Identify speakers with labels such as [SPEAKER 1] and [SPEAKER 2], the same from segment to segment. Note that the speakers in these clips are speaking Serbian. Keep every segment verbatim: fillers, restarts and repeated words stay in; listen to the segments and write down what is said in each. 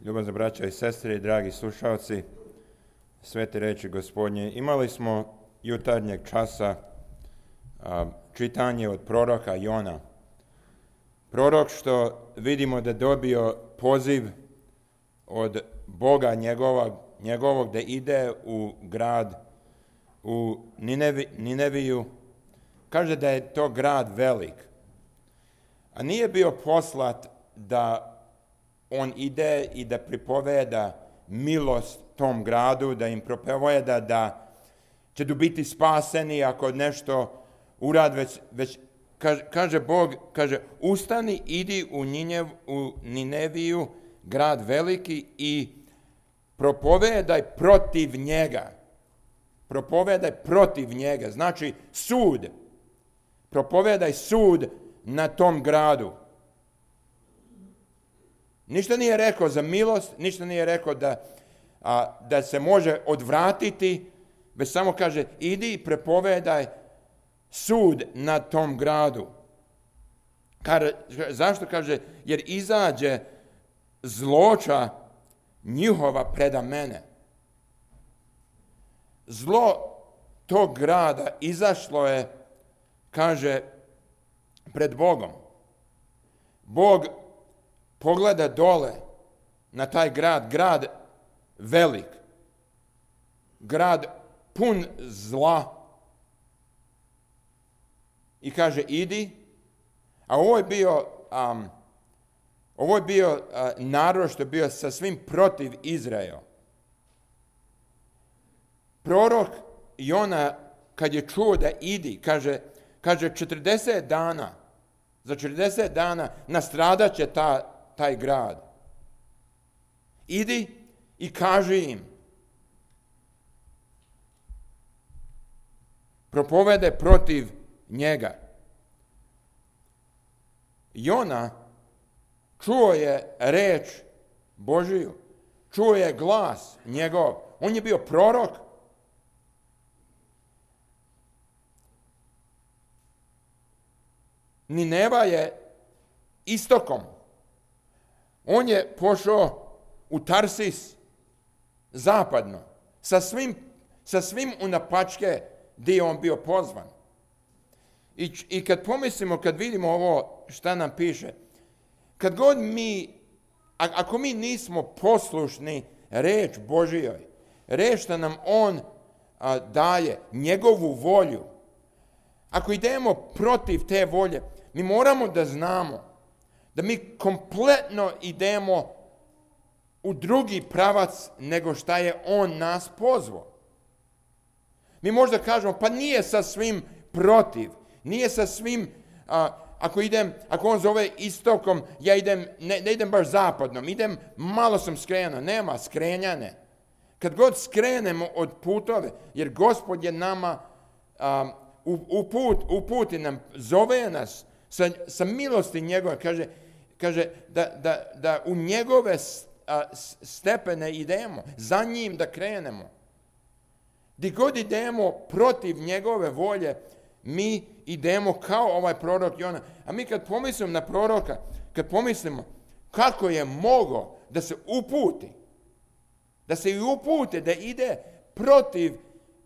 [SPEAKER 1] Ljubazne braća i sestre i dragi slušalci, svete reči Gospodnje, imali smo jutarnjeg časa a, čitanje od proroka Jona. Prorok što vidimo da dobio poziv od Boga njegovog, njegovog da ide u grad, u Ninevi, Nineviju. Kaže da je to grad velik. A nije bio poslat da on ide i da pripoveda milost tom gradu, da im propoveda da će tu biti spaseni ako nešto urad, već, već kaže, kaže Bog, kaže, ustani, idi u, Ninev, u Nineviju, grad veliki, i propovedaj protiv njega. Propovedaj protiv njega, znači sud. Propovedaj sud na tom gradu. Ništa nije rekao za milost, ništa nije rekao da, a, da se može odvratiti, već samo kaže, idi i prepovedaj sud na tom gradu. Kaže, zašto? Kaže, jer izađe zloča njihova preda mene. Zlo tog grada izašlo je, kaže, pred Bogom. Bog pogleda dole na taj grad, grad velik, grad pun zla, i kaže, idi. A ovo je bio, um, ovo je bio uh, narod što je bio sa svim protiv Izraela. Prorok Jona, kad je čuo da idi, kaže, kaže četrdeset dana, za četrdeset dana nastradat će ta, taj grad. Idi i kaži im. Propovede protiv njega. Jona čuo je reč Božiju, čuo je glas njegov. On je bio prorok. Nineva je istokom. On je pošao u Tarsis zapadno, sa svim, sa svim unapačke gdje je on bio pozvan. I, I kad pomislimo, kad vidimo ovo šta nam piše, kad god mi, ako mi nismo poslušni reč Božijoj, reč što nam on a, daje, njegovu volju, ako idemo protiv te volje, mi moramo da znamo da mi kompletno idemo u drugi pravac nego šta je on nas pozvao. Mi možda kažemo, pa nije sa svim protiv, nije sa svim, a, ako idem, ako on zove istokom, ja idem, ne, ne idem baš zapadnom, idem, malo sam skrenuo, nema skrenjane. Kad god skrenemo od putove, jer Gospod je nama a, u, u put, uputi nam, zove nas sa, sa milosti njegove, kaže, kaže da, da, da u njegove stepene idemo, za njim da krenemo. Gdje god idemo protiv njegove volje, mi idemo kao ovaj prorok Jona. A mi kad pomislimo na proroka, kad pomislimo kako je mogao da se uputi, da se i upute, da ide protiv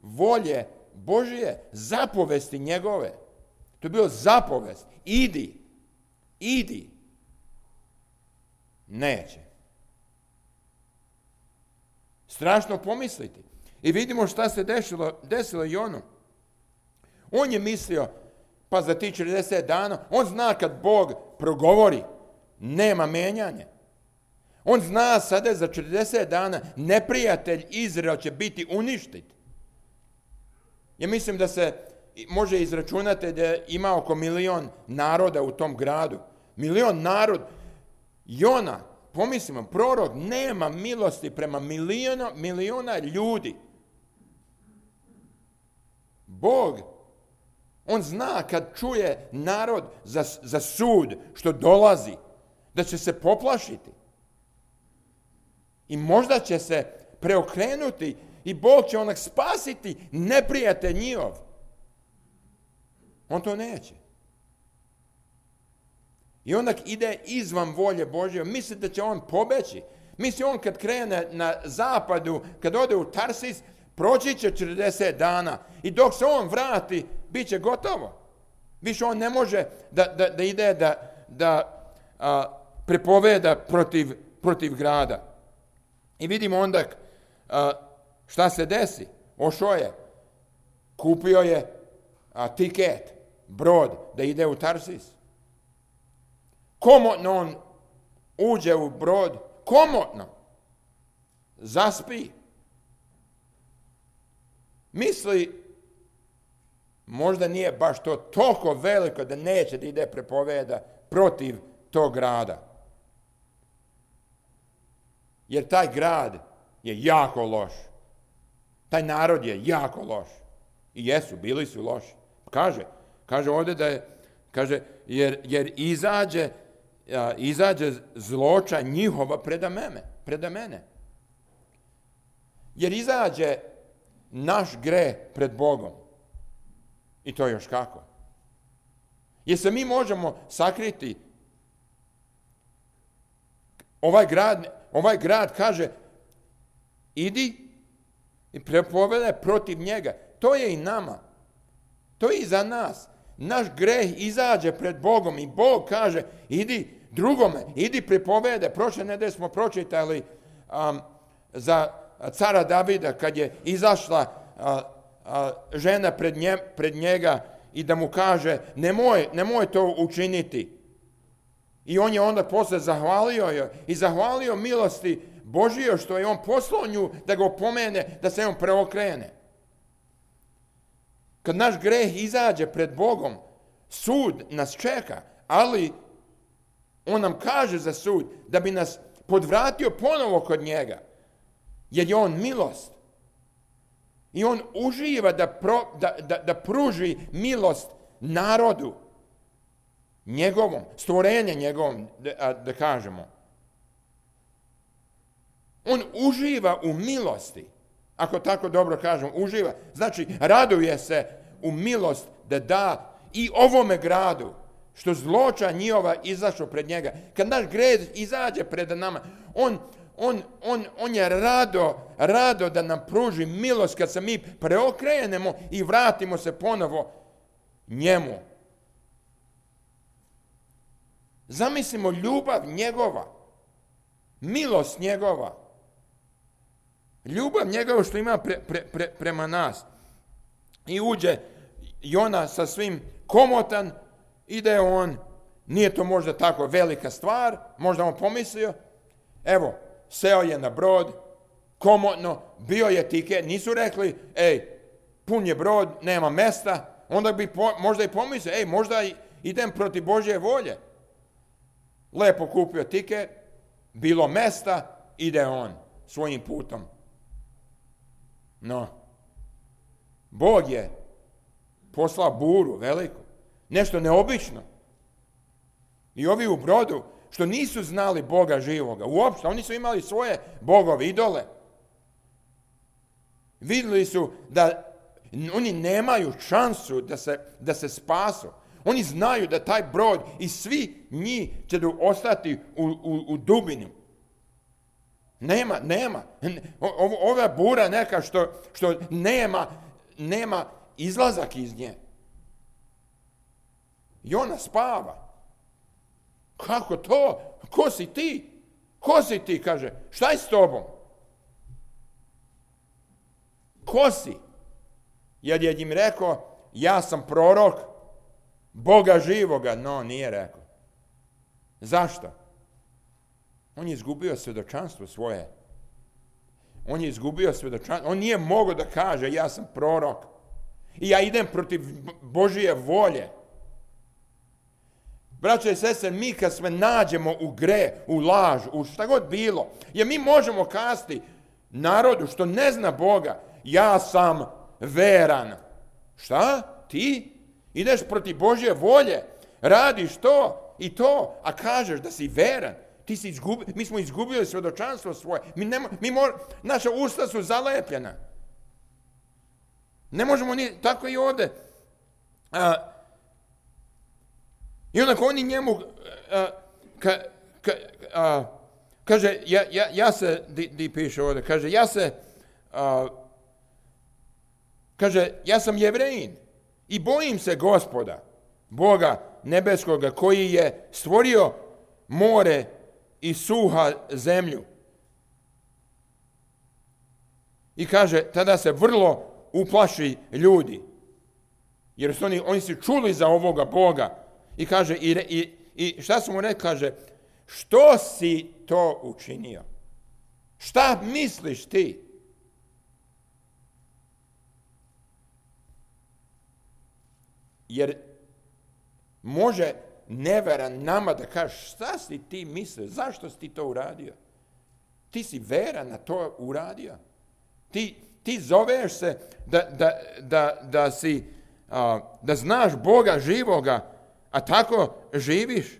[SPEAKER 1] volje Božije, zapovesti njegove. To je bilo zapovest. Idi, idi. Neće. Strašno pomisliti. I vidimo šta se desilo, desilo Jonu. On je mislio, pa za ti četrdeset dana, on zna kad Bog progovori, nema menjanja. On zna sada za četrdeset dana neprijatelj Izrael će biti uništit. Ja mislim da se može izračunati da ima oko milion naroda u tom gradu. Milion narod. Jona, pomislimo, prorok nema milosti prema miliona, miliona ljudi. Bog, on zna kad čuje narod za, za sud što dolazi, da će se poplašiti. I možda će se preokrenuti i Bog će onak spasiti neprijatelj njihov. On to neće. I onak ide izvan volje Božje, misli da će on pobeći, Misli, on kad krene na zapadu, kad ode u Tarsis, proći će četrdeset dana i dok se on vrati, bit će gotovo. Više on ne može da, da, da ide da, da a, prepoveda protiv, protiv grada. I vidimo onda a, šta se desi. Ošao je, kupio je a, tiket, brod da ide u Tarsis. Komotno on uđe u brod, komotno zaspi. Misli, možda nije baš to toliko veliko da neće da ide prepoveda protiv tog grada. Jer taj grad je jako loš. Taj narod je jako loš. I jesu, bili su loši. Kaže, kaže ovdje da je, kaže, jer, jer izađe, a, izađe zloča njihova preda mene, preda mene. Jer izađe naš greh pred Bogom. I to još kako. Jer se mi možemo sakriti. Ovaj grad, ovaj grad kaže, idi i prepoveda protiv njega. To je i nama. To je i za nas. Naš greh izađe pred Bogom i Bog kaže, idi drugome, idi prepovede. Prošle nedelje smo pročitali um, za cara Davida kad je izašla a, a, žena pred, nje, pred njega i da mu kaže nemoj, nemoj to učiniti. I on je onda posle zahvalio joj i zahvalio milosti Božije što je on poslao nju da ga opomene, da se on preokrene. Kad naš greh izađe pred Bogom, sud nas čeka, ali on nam kaže za sud da bi nas podvratio ponovo kod njega. Jer je on milost. I on uživa da, pro, da, da, da pruži milost narodu njegovom, stvorenje njegovom, da, da kažemo. On uživa u milosti. Ako tako dobro kažem, uživa. Znači, raduje se u milost da da i ovome gradu, što zloča njihova izašao pred njega. Kad naš greh izađe pred nama, on On, on, on je rado, rado da nam pruži milost kad se mi preokrenemo i vratimo se ponovo njemu. Zamislimo ljubav njegova, milost njegova, ljubav njegova što ima pre, pre, pre, prema nas. I uđe Jona sa svim komotan, ide on, nije to možda tako velika stvar, možda on pomislio, evo, seo je na brod, komotno, bio je tiket, nisu rekli, ej, pun je brod, nema mesta, onda bi po, možda i pomislio, ej, možda idem protiv Božje volje. Lepo kupio tiket, bilo mesta, ide on svojim putom. No, Bog je poslao buru veliku, nešto neobično. I ovi u brodu, što nisu znali Boga živoga, uopšte, oni su imali svoje bogove, idole. Vidjeli su da oni nemaju šansu da se, da se spasu. Oni znaju da taj brod i svi njih će da ostati u, u, u dubini. Nema, nema. O, ova bura neka što, što nema, nema izlazak iz nje. I ona spava. Kako to? Ko si ti? Ko si ti, kaže. Šta je s tobom? Ko si? Jer je im rekao, ja sam prorok Boga živoga. No, nije rekao. Zašto? On je izgubio svjedočanstvo svoje. On je izgubio svjedočanstvo. On nije mogao da kaže, ja sam prorok. I ja idem protiv Božije volje. Braćo i sestre, mi kad se nađemo u gre, u laž, u šta god bilo, jer mi možemo kazati narodu što ne zna Boga, ja sam veran. Šta? Ti? Ideš protiv Božje volje, radiš to i to, a kažeš da si veran. Ti si izgubi, mi smo izgubili svjedočanstvo svoje. Mi ne, mi mor, naša usta su zalepljena. Ne možemo ni, tako i ovdje. A, I onako oni njemu, a, ka, ka, a, kaže, ja, ja, ja se, di, di piše ovdje, kaže, ja se, uh, kaže, ja sam Jevrejin i bojim se Gospoda, Boga nebeskoga, koji je stvorio more i suha zemlju. I kaže, tada se vrlo uplaši ljudi, jer su oni, oni su čuli za ovoga Boga. I kaže, i, i, i šta su mu rekli, kaže, što si to učinio? Šta misliš ti? Jer može neveran nama da kaže, šta si ti mislio, zašto si ti to uradio? Ti si veran na to uradio. Ti, ti zoveš se da, da, da, da, si, a, da znaš Boga živoga, a tako živiš.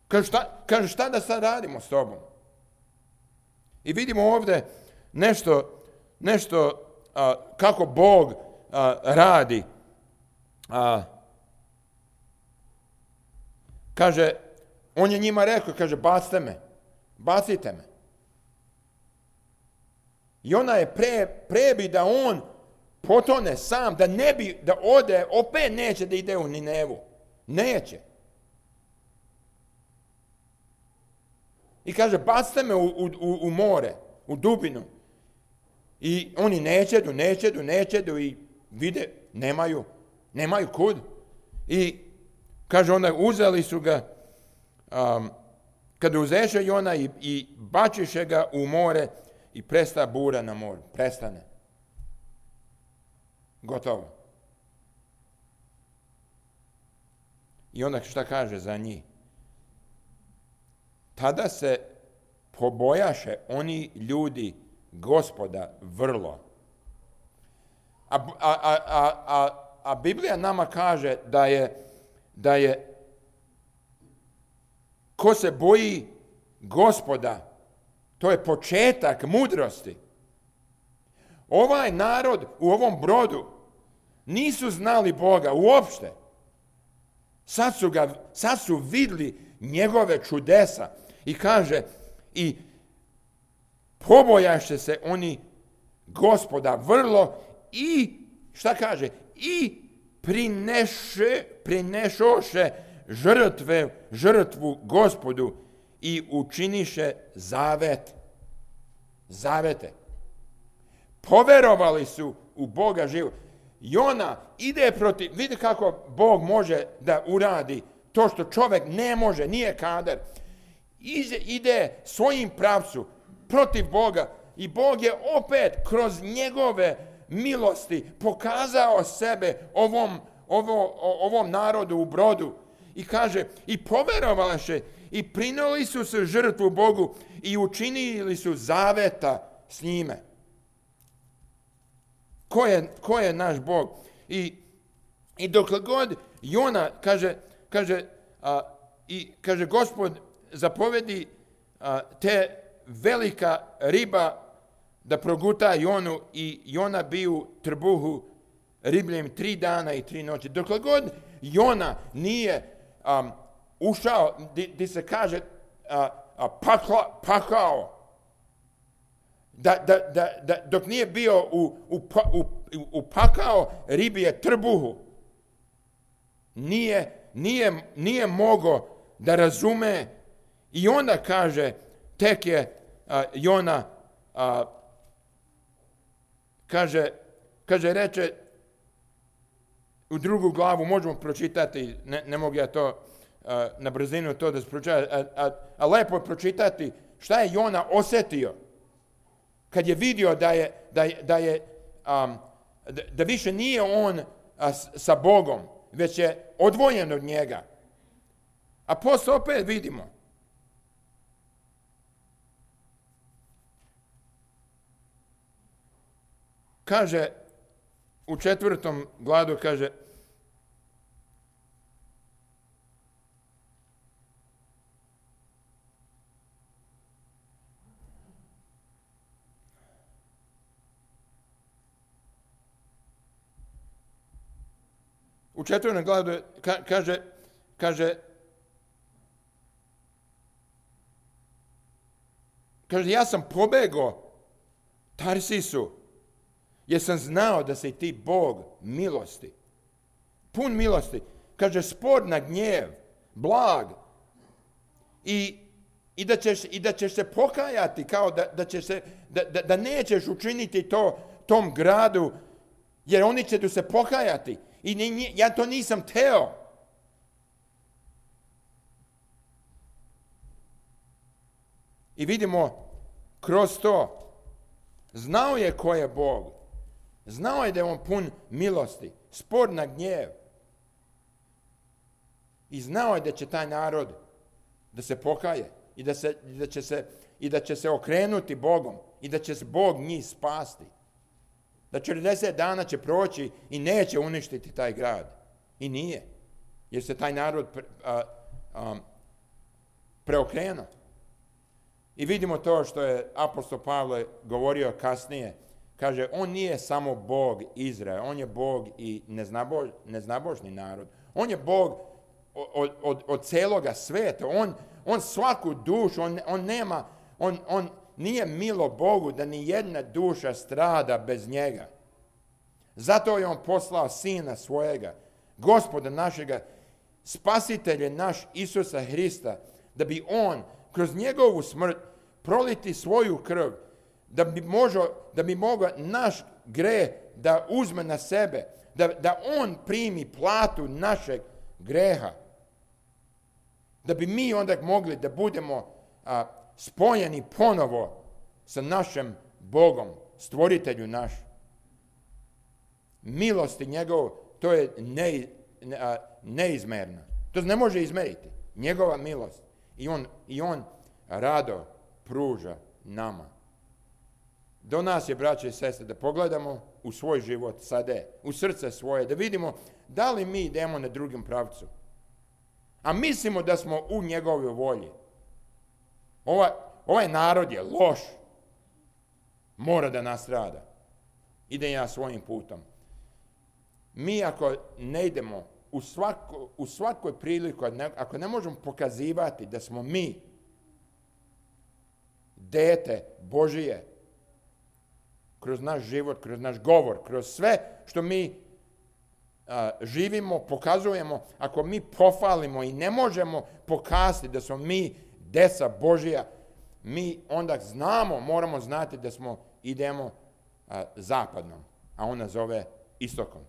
[SPEAKER 1] Kaže, šta, kaže, šta da sad radimo s tobom? I vidimo ovdje nešto, nešto a, kako Bog a, radi. A, kaže, on je njima rekao, kaže, bacite me, bacite me. I ona je pre, prebi da on potone sam, da ne bi, da ode, opet neće da ide u Ninevu. Neće. I kaže, bacite me u, u, u more, u dubinu. I oni nećedu, nećedu, nećedu i vide, nemaju, nemaju kud. I kaže, onda uzeli su ga, um, kada uzeše Jona i, i bačiše ga u more i presta bura na moru. Prestane. Gotovo. I onda šta kaže za njih? Tada se pobojaše oni ljudi Gospoda vrlo. A, a, a, a, a, a Biblija nama kaže da je, da je ko se boji Gospoda, to je početak mudrosti. Ovaj narod u ovom brodu nisu znali Boga uopšte. Sad su, ga, sad su vidjeli njegove čudesa i kaže, i pobojaše se oni Gospoda vrlo i, šta kaže, i prineše, prinešoše žrtve, žrtvu Gospodu i učiniše zavet. Zavete. Poverovali su u Boga živog. Jona ide protiv, vidi kako Bog može da uradi to što čovjek ne može, nije kadar. Ide, ide svojim pravcu protiv Boga i Bog je opet kroz njegove milosti pokazao sebe ovom, ovo, ovom narodu u brodu. I kaže, i poverovali se i prinijeli su se žrtvu Bogu i učinili su zaveta s njime. Ko je, ko je naš Bog? I, i dokle god Jona, kaže, kaže, a, i, kaže Gospod zapovedi a, te velika riba da proguta Jonu i Jona bi u trbuhu ribljem tri dana i tri noći. Dokle god Jona nije um, ušao, di, di se kaže a, a, pakla, pakao, Da, da, da, da, dok nije bio u, u, u, u pakao ribije trbuhu, nije, nije, nije mogo da razume i onda kaže, tek je a, Jona, a, kaže, kaže, reče, u drugu glavu možemo pročitati, ne, ne mogu ja to a, na brzinu to da pročitam, a, a, a lepo je pročitati šta je Jona osjetio kad je vidio da je, da je, da, je um, da, da više nije on a, s, sa Bogom, već je odvojen od njega. A posle opet vidimo. Kaže, u četvrtom gladu kaže, u četvrtom gladu ka, kaže, kaže, Kaže, ja sam pobegao Tarsisu, jer sam znao da si ti Bog milosti. Pun milosti. Kaže, spor na gnjev, blag. I, i, da, ćeš, i da ćeš se pokajati, kao da, da, ćeš se, da, da, da nećeš učiniti to tom gradu, jer oni će tu se pokajati. I ni, ja to nisam teo. I vidimo kroz to, znao je ko je Bog. Znao je da je on pun milosti, spor na gnjev. I znao je da će taj narod da se pokaje i da, se, da, će se, i da će se okrenuti Bogom i da će se Bog njih spasti. Da četrdeset dana će proći i neće uništiti taj grad. I nije. Jer se taj narod pre, a, a, preokrenuo. I vidimo to što je apostol Pavle govorio kasnije. Kaže, on nije samo Bog Izraela, on je Bog i neznabož, neznabožni narod. On je Bog od, od, od celoga sveta. On, on svaku dušu, on, on nema, on, on nije milo Bogu da ni jedna duša strada bez njega. Zato je on poslao sina svojega, Gospoda našega, spasitelja naš Isusa Hrista, da bi on kroz njegovu smrt proliti svoju krv, da bi, možo, da bi mogao naš greh da uzme na sebe, da, da on primi platu našeg greha. Da bi mi onda mogli da budemo a, spojeni ponovo sa našim Bogom, stvoritelju naš. Milosti njegov, to je ne, a, neizmerna. To ne može izmeriti. Njegova milost. I on, i on rado pruža nama. Do nas je, braće i sestre, da pogledamo u svoj život sada, u srce svoje, da vidimo da li mi idemo na drugom pravcu. A mislimo da smo u njegovoj volji. Ova, ovaj narod je loš. Mora da nastrada. Ide ja svojim putom. Mi ako ne idemo u, svako, u svakoj priliku, ako ne možemo pokazivati da smo mi dete Božije, kroz naš život, kroz naš govor, kroz sve što mi a, živimo, pokazujemo, ako mi pofalimo i ne možemo pokazati da smo mi deca Božija, mi onda znamo, moramo znati da smo idemo a, zapadnom, a ona zove istokom.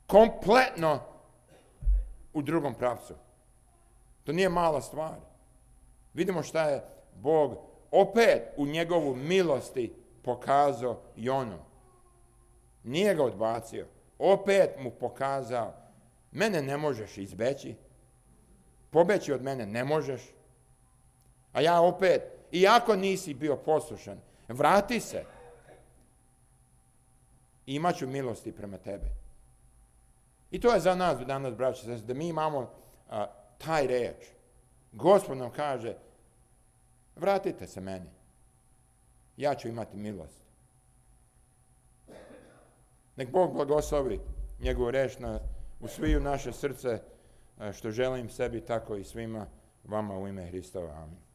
[SPEAKER 1] Kompletno u drugom pravcu. To nije mala stvar. Vidimo šta je Bog opet u njegovu milosti pokazao Jonu. Nije ga odbacio. Opet mu pokazao, mene ne možeš izbeći, pobeći od mene ne možeš, a ja opet, iako nisi bio poslušan, vrati se i imat ću milosti prema tebi. I to je za nas danas, braći, da mi imamo a, taj reč. Gospod nam kaže, vratite se meni, ja ću imati milost. Nek Bog blagoslovi njegovu reč na, u sviju naše srce, što želim sebi, tako i svima vama u ime Hristova. Amin.